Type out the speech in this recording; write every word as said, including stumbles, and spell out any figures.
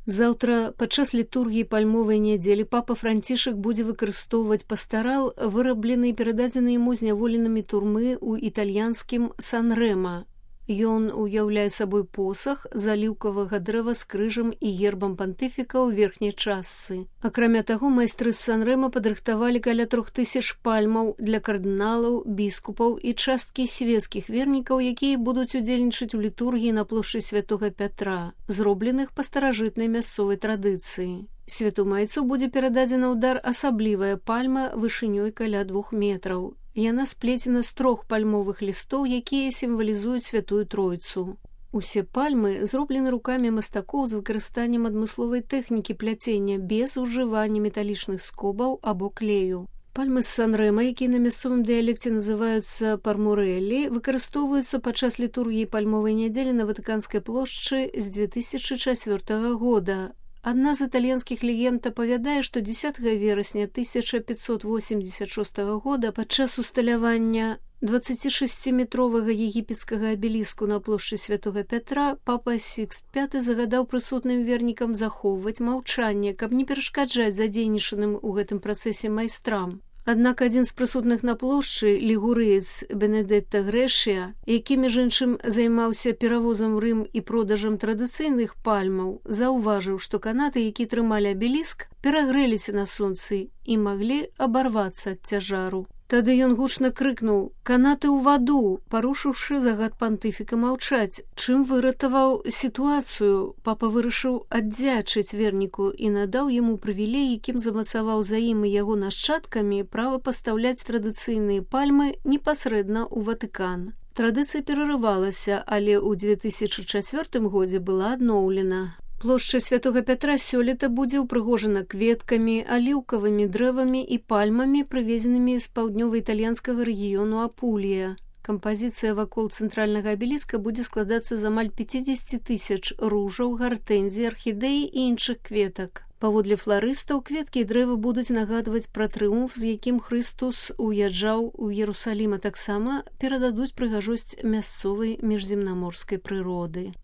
Заўтра падчас літургіі пальмовай нядзелі папа Францішак будзе выкарыстоўваць пастарал, выраблены і перададзены яму зняволенымі турмы ў італьянскім Сан-Рэма. Ён уяўляе сабой посах з аліўкавага дрэва з крыжам і гербам пантыфіка ў верхняй частцы. Акрамя таго, майстры з Сан-Рэма падрыхтавалі каля трох тысяч пальмаў для кардыналаў, біскупаў і часткі свецкіх вернікаў, якія будуць удзельнічаць у літургіі на плошчы Святога Пятра, зробленых па старажытнай мясцовай традыцыі. Святу майцу будзе перададзена ў дар асаблівая пальма вышынёй каля двух метраў. Яна сплецена з трох пальмовых лістоў, якія сімвалізуюць Святую Тройцу. Усе пальмы зроблены рукамі мастакоў з выкарыстаннем адмысловай тэхнікі пляцення без ужывання металічных скобаў або клею. Пальмы з Сан-Рэма, якія на мясцовым дыялекце называюцца пармурэлі, выкарыстоўваюцца падчас літургіі пальмовай нядзелі на Ватыканскай плошчы з дзве тысячы чацвёртага года. Адна з італьянскіх легенд апавядае, што дзесятага верасня тысяча пятьсот восемьдесят шостага года падчас усталявання дваццацішасціметровага егіпецкага абеліску на плошчы Святога Пятра папа Сікст пяты загадаў прысутным вернікам захоўваць маўчанне, каб не перашкаджаць задзейнічаным у гэтым працэсе майстрам. Аднак адзін з прысутных на плошчы, лігурыец Бенедетта Грэшыя, які, між іншым, займаўся перавозам у Рым і продажам традыцыйных пальмаў, заўважыў, што канаты, які трымалі абеліск, перагрэліся на сонцы і маглі абарвацца ад цяжару. Тады ён гучна крыкнуў «Канаты ў ваду», парушыўшы загад пантыфіка маўчаць, чым выратаваў сітуацыю. Папа вырашыў аддзячыць верніку і надаў яму прывілей, якім замацаваў за ім і яго нашчадкамі права пастаўляць традыцыйныя пальмы непасрэдна ў Ватыкан. Традыцыя перарывалася, але ў дзве тысячы чацвёртым годзе была адноўлена. Плошча Святога Пятра сёлета будзе ўпрыгожана кветкамі, аліўкавымі дрэвамі і пальмамі, прывезенымі з паўднёва-італьянскага рэгіёну Апулія. Кампазіцыя вакол цэнтральнага абеліска будзе складацца з амаль пяцідзесяці тысяч ружаў, гартэнзій, архідэі і іншых кветак. Паводле фларыстаў, кветкі і дрэвы будуць нагадваць пра трыумф, з якім Хрыстус уязджаў у Іерусалім, а таксама перададуць прыгажосць мясцовай міжземнаморскай прыроды.